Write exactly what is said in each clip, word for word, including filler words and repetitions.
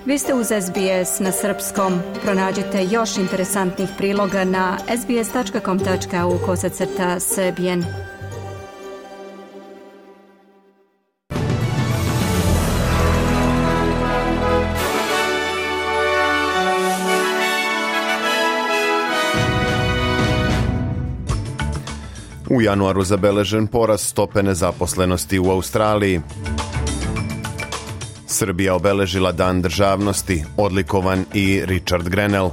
Vi ste uz S B S na srpskom. Pronađite još interesantnih priloga na sbs.com.au kosacrta srbijen. U januaru zabeležen porast stope nezaposlenosti u Australiji. Srbija obeležila Dan državnosti, odlikovan i Richard Grenell.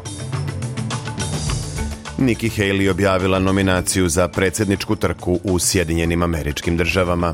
Nikki Haley objavila nominaciju za predsjedničku trku u Sjedinjenim Američkim Državama.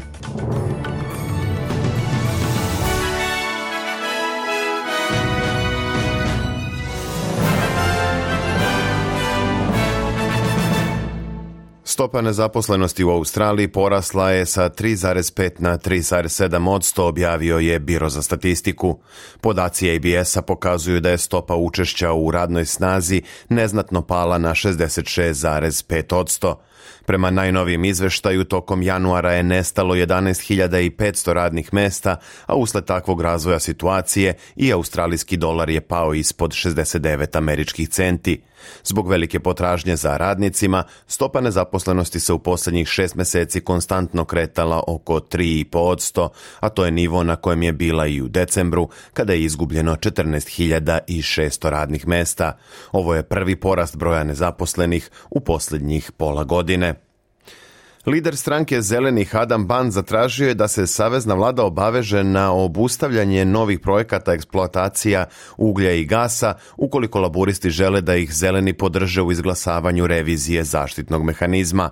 Stopa nezaposlenosti u Australiji porasla je sa tri zarez pet na tri zarez sedam posto, objavio je Biro za statistiku. Podaci A B S-a pokazuju da je stopa učešća u radnoj snazi neznatno pala na šezdeset šest zarez pet posto. Prema najnovijem izveštaju, tokom januara je nestalo jedanaest hiljada petsto radnih mesta, a usled takvog razvoja situacije i australijski dolar je pao ispod šezdeset devet američkih centi. Zbog velike potražnje za radnicima, stopa nezaposlenosti se u posljednjih šest mjeseci konstantno kretala oko tri zarez pet posto, a to je nivo na kojem je bila i u decembru, kada je izgubljeno četrnaest hiljada šesto radnih mesta. Ovo je prvi porast broja nezaposlenih u posljednjih pola godine. Lider stranke Zelenih Adam Ban zatražio je da se savezna vlada obaveže na obustavljanje novih projekata eksploatacija uglja i gasa ukoliko laburisti žele da ih zeleni podrže u izglasavanju revizije zaštitnog mehanizma.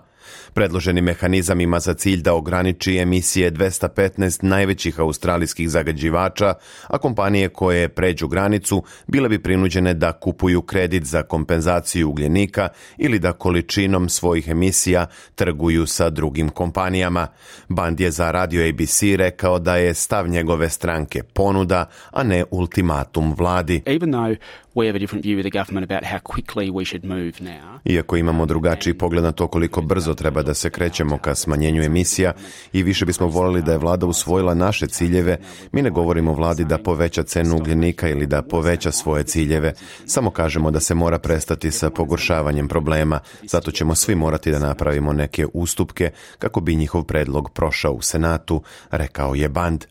Predloženi mehanizam ima za cilj da ograniči emisije dvesta petnaest najvećih australijskih zagađivača, a kompanije koje pređu granicu bile bi prinuđene da kupuju kredit za kompenzaciju ugljenika ili da količinom svojih emisija trguju sa drugim kompanijama. Band je za radio A B C rekao da je stav njegove stranke ponuda, a ne ultimatum vladi. Even though we have a different view with the government about how quickly we should move now. Iako imamo drugačiji pogled na to koliko brzo treba da se krećemo ka smanjenju emisija i više bismo voljeli da je vlada usvojila naše ciljeve, mi ne govorimo vladi da poveća cenu ugljenika ili da poveća svoje ciljeve. Samo kažemo da se mora prestati sa pogoršavanjem problema. Zato ćemo svi morati da napravimo neke ustupke kako bi njihov predlog prošao u Senatu, rekao je Band.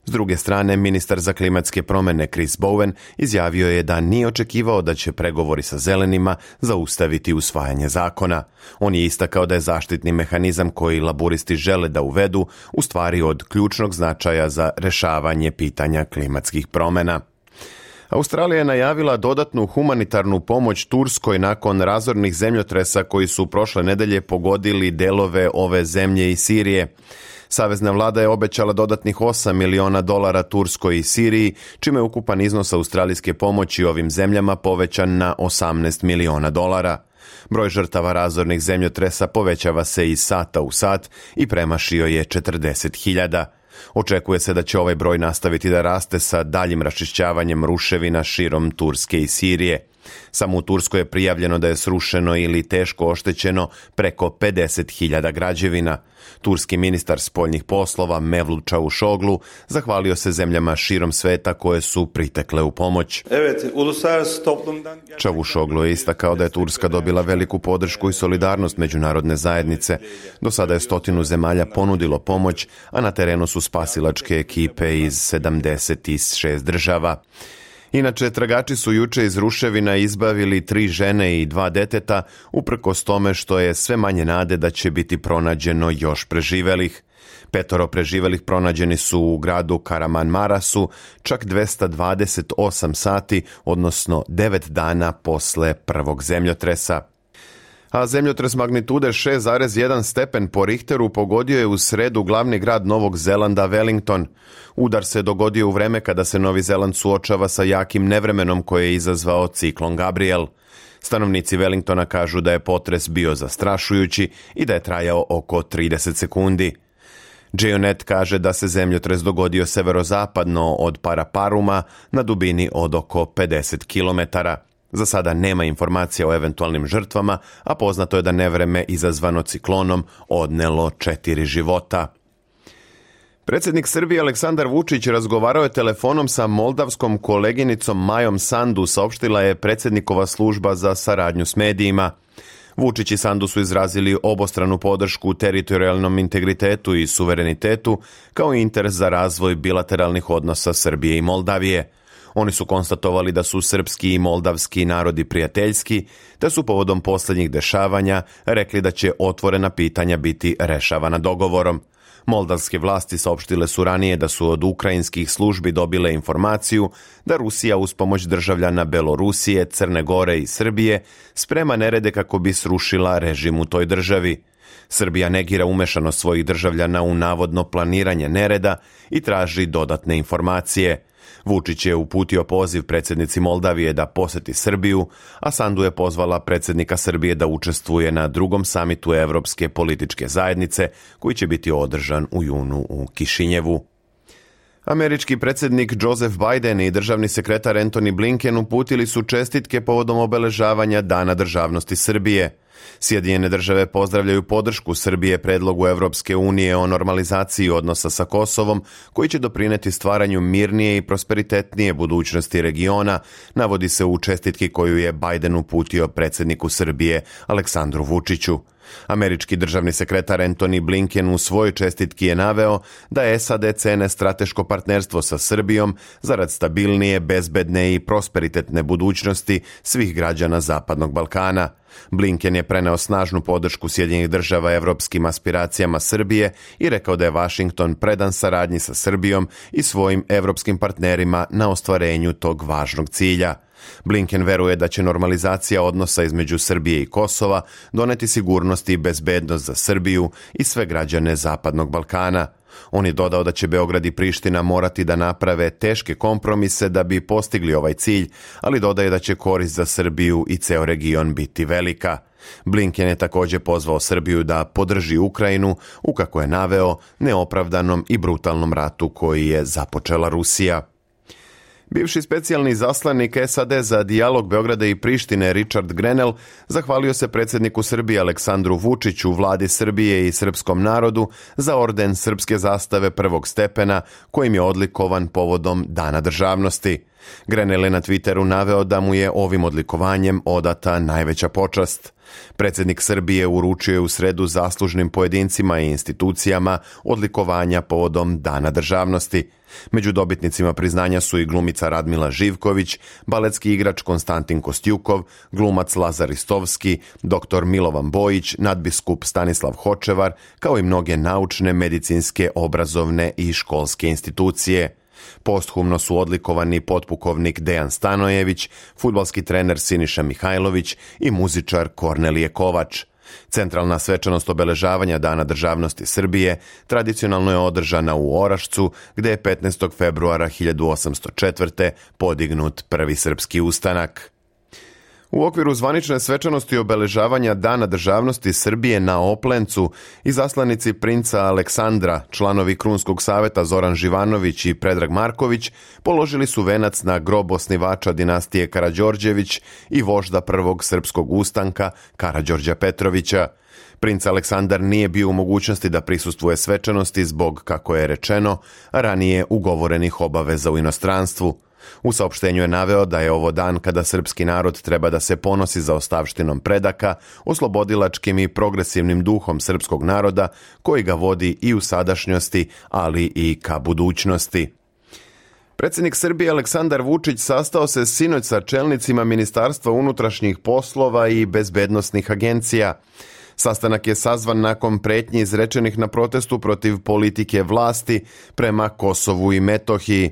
S druge strane, ministar za klimatske promjene Chris Bowen izjavio je da nije očekivao da će pregovori sa zelenima zaustaviti usvajanje zakona. On je istakao da je zaštitni mehanizam koji laburisti žele da uvedu u stvari od ključnog značaja za rešavanje pitanja klimatskih promjena. Australija je najavila dodatnu humanitarnu pomoć Turskoj nakon razornih zemljotresa koji su prošle nedelje pogodili delove ove zemlje i Sirije. Savezna vlada je obećala dodatnih osam miliona dolara Turskoj i Siriji, čime je ukupan iznos australijske pomoći ovim zemljama povećan na osamnaest miliona dolara. Broj žrtava razornih zemljotresa povećava se iz sata u sat i premašio je četrdeset hiljada. Očekuje se da će ovaj broj nastaviti da raste sa daljim raščišćavanjem ruševina širom Turske i Sirije. Samo u Turskoj je prijavljeno da je srušeno ili teško oštećeno preko pedeset hiljada građevina. Turski ministar spoljnih poslova Mevlut Čavuşoglu zahvalio se zemljama širom sveta koje su pritekle u pomoć. Čavuşoglu je istakao da je Turska dobila veliku podršku i solidarnost međunarodne zajednice. Do sada je stotinu zemalja ponudilo pomoć, a na terenu su spasilačke ekipe iz sedamdeset šest država. Inače, tragači su juče iz ruševina izbavili tri žene i dva deteta, uprkos tome što je sve manje nade da će biti pronađeno još preživelih. Petoro preživelih pronađeni su u gradu Karamanmarasu čak dvesta dvadeset osam sati, odnosno devet dana posle prvog zemljotresa. A zemljotres magnitude šest zarez jedan stepen po Richteru pogodio je u sredu glavni grad Novog Zelanda Wellington. Udar se dogodio u vreme kada se Novi Zeland suočava sa jakim nevremenom koje je izazvao ciklon Gabriel. Stanovnici Wellingtona kažu da je potres bio zastrašujući i da je trajao oko trideset sekundi. Geonet kaže da se zemljotres dogodio severozapadno od Paraparuma na dubini od oko pedeset kilometara. Za sada nema informacija o eventualnim žrtvama, a poznato je da nevreme izazvano ciklonom odnelo četiri života. Predsjednik Srbije Aleksandar Vučić razgovarao je telefonom sa moldavskom koleginicom Majom Sandu, saopštila je predsjednikova služba za saradnju s medijima. Vučić i Sandu su izrazili obostranu podršku teritorijalnom integritetu i suverenitetu, kao i interes za razvoj bilateralnih odnosa Srbije i Moldavije. Oni su konstatovali da su srpski i moldavski narodi prijateljski, te su povodom posljednjih dešavanja rekli da će otvorena pitanja biti rešavana dogovorom. Moldavske vlasti saopštile su ranije da su od ukrajinskih službi dobile informaciju da Rusija uz pomoć državljana Belorusije, Crne Gore i Srbije sprema nerede kako bi srušila režim u toj državi. Srbija negira umešanost svojih državljana u navodno planiranje nereda i traži dodatne informacije. Vučić je uputio poziv predsjednici Moldavije da poseti Srbiju, a Sandu je pozvala predsjednika Srbije da učestvuje na drugom samitu Evropske političke zajednice, koji će biti održan u junu u Kišinjevu. Američki predsjednik Joseph Biden i državni sekretar Antony Blinken uputili su čestitke povodom obeležavanja Dana državnosti Srbije. Sjedinjene države pozdravljaju podršku Srbije predlogu Evropske unije o normalizaciji odnosa sa Kosovom, koji će doprineti stvaranju mirnije i prosperitetnije budućnosti regiona, navodi se u čestitki koju je Biden uputio predsjedniku Srbije Aleksandru Vučiću. Američki državni sekretar Antony Blinken u svojoj čestitki je naveo da S A D cene strateško partnerstvo sa Srbijom zarad stabilnije, bezbedne i prosperitetne budućnosti svih građana Zapadnog Balkana. Blinken je preneo snažnu podršku Sjedinjenih država evropskim aspiracijama Srbije i rekao da je Washington predan saradnji sa Srbijom i svojim evropskim partnerima na ostvarenju tog važnog cilja. Blinken veruje da će normalizacija odnosa između Srbije i Kosova doneti sigurnost i bezbednost za Srbiju i sve građane Zapadnog Balkana. On je dodao da će Beograd i Priština morati da naprave teške kompromise da bi postigli ovaj cilj, ali dodaje da će korist za Srbiju i ceo region biti velika. Blinken je također pozvao Srbiju da podrži Ukrajinu u, kako je naveo, neopravdanom i brutalnom ratu koji je započela Rusija. Bivši specijalni zaslanik S A D za dijalog Beograda i Prištine Richard Grenell zahvalio se predsjedniku Srbije Aleksandru Vučiću, vladi Srbije i srpskom narodu za orden srpske zastave prvog stepena kojim je odlikovan povodom Dana državnosti. Grenell je na Twitteru naveo da mu je ovim odlikovanjem odata najveća počast. Predsjednik Srbije uručio je u sredu zaslužnim pojedincima i institucijama odlikovanja povodom Dana državnosti. Među dobitnicima priznanja su i glumica Radmila Živković, baletski igrač Konstantin Kostjukov, glumac Lazar Ristovski, doktor Milovan Bojić, nadbiskup Stanislav Hočevar, kao i mnoge naučne, medicinske, obrazovne i školske institucije. Posthumno su odlikovani potpukovnik Dejan Stanojević, fudbalski trener Siniša Mihajlović i muzičar Kornelije Kovač. Centralna svečanost obeležavanja Dana državnosti Srbije tradicionalno je održana u Orašcu, gde je petnaestog februara hiljadu osamsto četvrte. podignut prvi srpski ustanak. U okviru zvanične svečanosti obeležavanja Dana državnosti Srbije na Oplencu izaslanici princa Aleksandra, članovi Krunskog saveta Zoran Živanović i Predrag Marković, položili su venac na grob osnivača dinastije Karađorđević i vožda prvog srpskog ustanka Karađorđa Petrovića. Princ Aleksandar nije bio u mogućnosti da prisustvuje svečanosti zbog, kako je rečeno, ranije ugovorenih obaveza u inostranstvu. U saopštenju je naveo da je ovo dan kada srpski narod treba da se ponosi za ostavštinom predaka, oslobodilačkim i progresivnim duhom srpskog naroda koji ga vodi i u sadašnjosti, ali i ka budućnosti. Predsjednik Srbije Aleksandar Vučić sastao se sinoć sa čelnicima Ministarstva unutrašnjih poslova i bezbednosnih agencija. Sastanak je sazvan nakon pretnji izrečenih na protestu protiv politike vlasti prema Kosovu i Metohiji.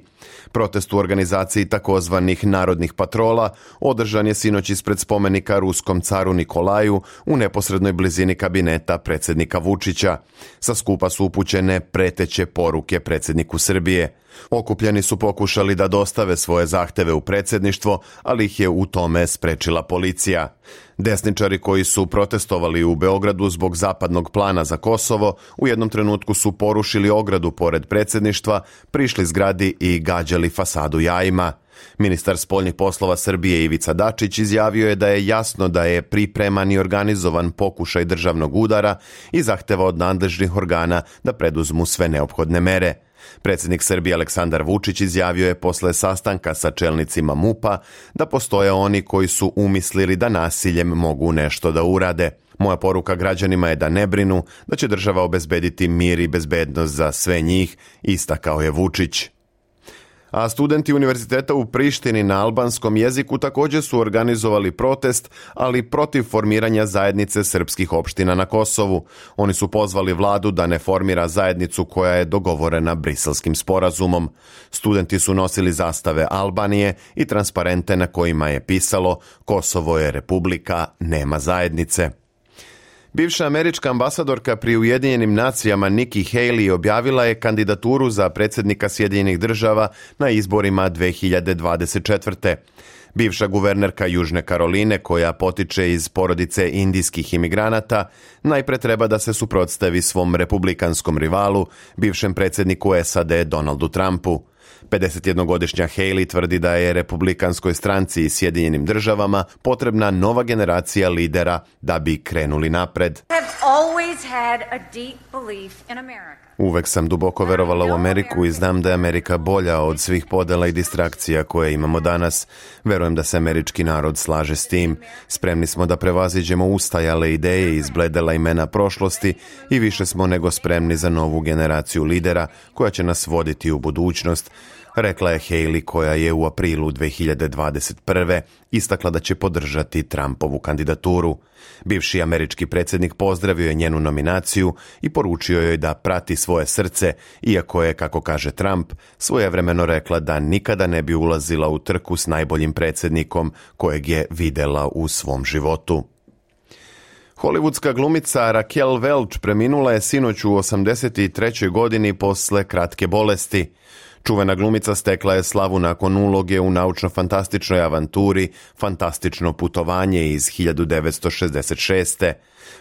Protest u organizaciji takozvanih narodnih patrola održan je sinoć ispred spomenika ruskom caru Nikolaju u neposrednoj blizini kabineta predsjednika Vučića. Sa skupa su upućene preteće poruke predsjedniku Srbije. Okupljeni su pokušali da dostave svoje zahteve u predsjedništvo, ali ih je u tome sprečila policija. Desničari koji su protestovali u Beogradu zbog zapadnog plana za Kosovo u jednom trenutku su porušili ogradu pored predsjedništva, prišli zgradi i gađali fasadu jajima. Ministar spoljnih poslova Srbije Ivica Dačić izjavio je da je jasno da je pripreman i organizovan pokušaj državnog udara i zahteva od nadležnih organa da preduzmu sve neophodne mere. Predsjednik Srbije Aleksandar Vučić izjavio je posle sastanka sa čelnicima MUP-a da postoje oni koji su umislili da nasiljem mogu nešto da urade. Moja poruka građanima je da ne brinu, da će država obezbediti mir i bezbednost za sve njih, istakao je Vučić. A studenti univerziteta u Prištini na albanskom jeziku također su organizovali protest, ali protiv formiranja zajednice srpskih opština na Kosovu. Oni su pozvali vladu da ne formira zajednicu koja je dogovorena Briselskim sporazumom. Studenti su nosili zastave Albanije i transparente na kojima je pisalo Kosovo je republika, nema zajednice. Bivša američka ambasadorka pri Ujedinjenim nacijama Nikki Haley objavila je kandidaturu za predsjednika Sjedinjenih država na izborima dve hiljade dvadeset četvrte. Bivša guvernerka Južne Karoline, koja potiče iz porodice indijskih imigranata, najpre treba da se suprotstavi svom republikanskom rivalu, bivšem predsjedniku S A D Donaldu Trumpu. pedesetjednogodišnja Haley tvrdi da je republikanskoj stranci i Sjedinjenim državama potrebna nova generacija lidera da bi krenuli napred. Uvek sam duboko verovala u Ameriku i znam da je Amerika bolja od svih podela i distrakcija koje imamo danas. Verujem da se američki narod slaže s tim. Spremni smo da prevaziđemo ustajale ideje i izbledela imena prošlosti i više smo nego spremni za novu generaciju lidera koja će nas voditi u budućnost, rekla je Haley, koja je u aprilu dve hiljade dvadeset prve istakla da će podržati Trumpovu kandidaturu. Bivši američki predsjednik pozdravio je njenu nominaciju i poručio joj da prati svoje srce, iako je, kako kaže Trump, svojevremeno rekla da nikada ne bi ulazila u trku s najboljim predsjednikom kojeg je videla u svom životu. Hollywoodska glumica Raquel Welch preminula je sinoć u osamdeset trećoj godini posle kratke bolesti. Čuvena glumica stekla je slavu nakon uloge u naučno-fantastičnoj avanturi Fantastično putovanje iz hiljadu devetsto šezdeset šeste.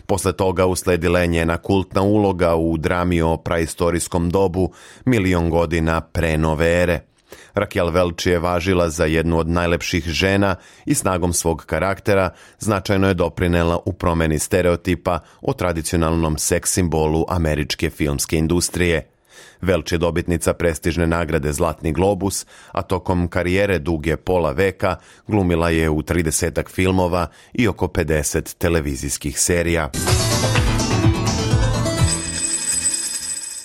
Posle toga usledila je njena kultna uloga u drami o praistorijskom dobu Milion godina pre nove ere. Raquel Welch je važila za jednu od najlepših žena i snagom svog karaktera značajno je doprinela u promeni stereotipa o tradicionalnom seks simbolu američke filmske industrije. Welch je dobitnica prestižne nagrade Zlatni globus, a tokom karijere duge pola veka glumila je u tridesetak filmova i oko pedeset televizijskih serija.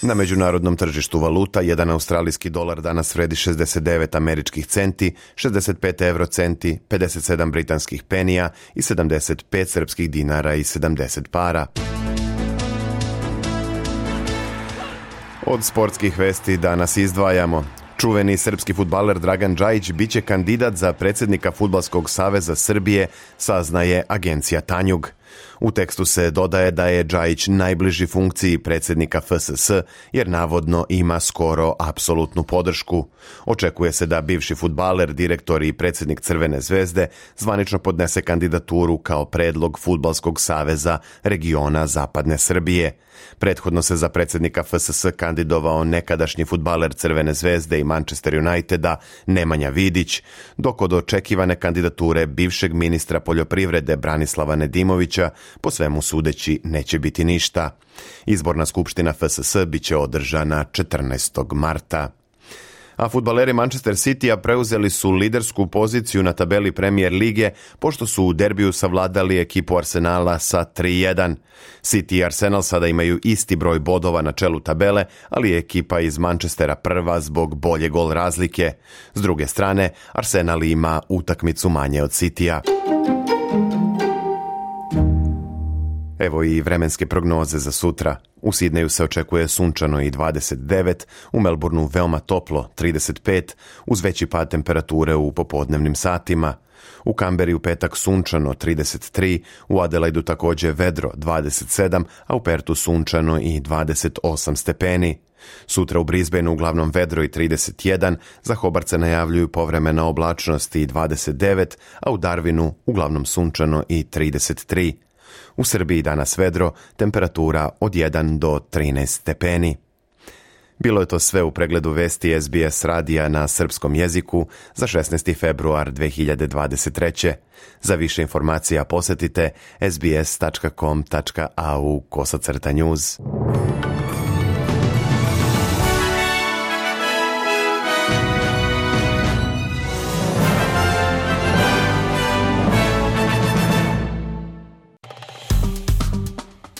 Na međunarodnom tržištu valuta jedan australijski dolar danas vredi šezdeset devet američkih centi, šezdeset pet eurocenti, pedeset sedam britanskih penija i sedamdeset pet srpskih dinara i sedamdeset para. Od sportskih vesti danas izdvajamo. Čuveni srpski fudbaler Dragan Džajić biće kandidat za predsjednika Fudbalskog saveza Srbije, saznaje agencija Tanjug. U tekstu se dodaje da je Džajić najbliži funkciji predsjednika F S S jer navodno ima skoro apsolutnu podršku. Očekuje se da bivši fudbaler, direktor i predsjednik Crvene zvezde zvanično podnese kandidaturu kao predlog Fudbalskog saveza regiona Zapadne Srbije. Prethodno se za predsjednika F S S kandidovao nekadašnji fudbaler Crvene zvezde i Manchester Uniteda Nemanja Vidić, dok od očekivane kandidature bivšeg ministra poljoprivrede Branislava Nedimovića po svemu sudeći neće biti ništa. Izborna skupština F S S biće održana četrnaestog marta. A fudbaleri Manchester Citya preuzeli su lidersku poziciju na tabeli Premier lige pošto su u derbiju savladali ekipu Arsenala sa tri jedan. City i Arsenal sada imaju isti broj bodova na čelu tabele, ali je ekipa iz Manchestera prva zbog bolje gol razlike. S druge strane, Arsenal ima utakmicu manje od Cityja. Evo i vremenske prognoze za sutra. U Sidneju se očekuje sunčano i dvadeset devet, u Melbourneu veoma toplo trideset pet, uz veći pad temperature u popodnevnim satima. U Kamberi u petak sunčano trideset tri, u Adelaidu također vedro dvadeset sedam, a u Pertu sunčano i dvadeset osam stepeni. Sutra u Brisbaneu uglavnom vedro i trideset jedan, za Hobart se najavljuju povremena oblačnost i dvadeset devet, a u Darwinu uglavnom sunčano i trideset tri. U Srbiji danas vedro, temperatura od jedan do trinaest stepeni. Bilo je to sve u pregledu vesti S B S radija na srpskom jeziku za šesnaesti februar dve hiljade dvadeset treće. Za više informacija posjetite sbs tačka com tačka a u kosacrta news.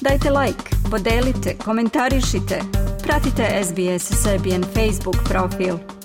Dajte like, podelite, komentarišite. Pratite S B S Serbian Facebook profil.